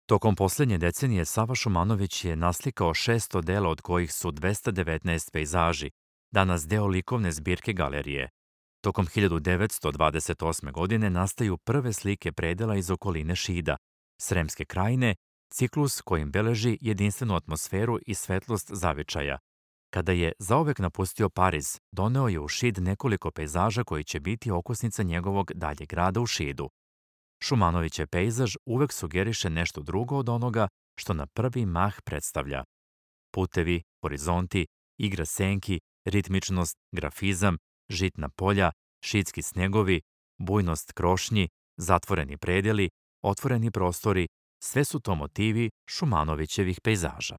Tokom posljednje decenije Sava Šumanović je naslikao 600 dela od kojih su 219 pejzaži, danas deo likovne zbirke galerije. Tokom 1928. godine nastaju prve slike predela iz okoline Šida, Sremske krajine, ciklus kojim beleži jedinstvenu atmosferu i svetlost zavičaja. Kada je zaovek napustio Pariz, doneo je u Šid nekoliko pejzaža koji će biti okosnica njegovog daljeg rada u Šidu. Šumanovićev pejzaž uvek sugeriše nešto drugo od onoga što na prvi mah predstavlja. Putevi, horizonti, igra senki, ritmičnost, grafizam, žitna polja, šidski snegovi, bujnost krošnji, zatvoreni predeli, otvoreni prostori, sve su to motivi Šumanovićevih pejzaža.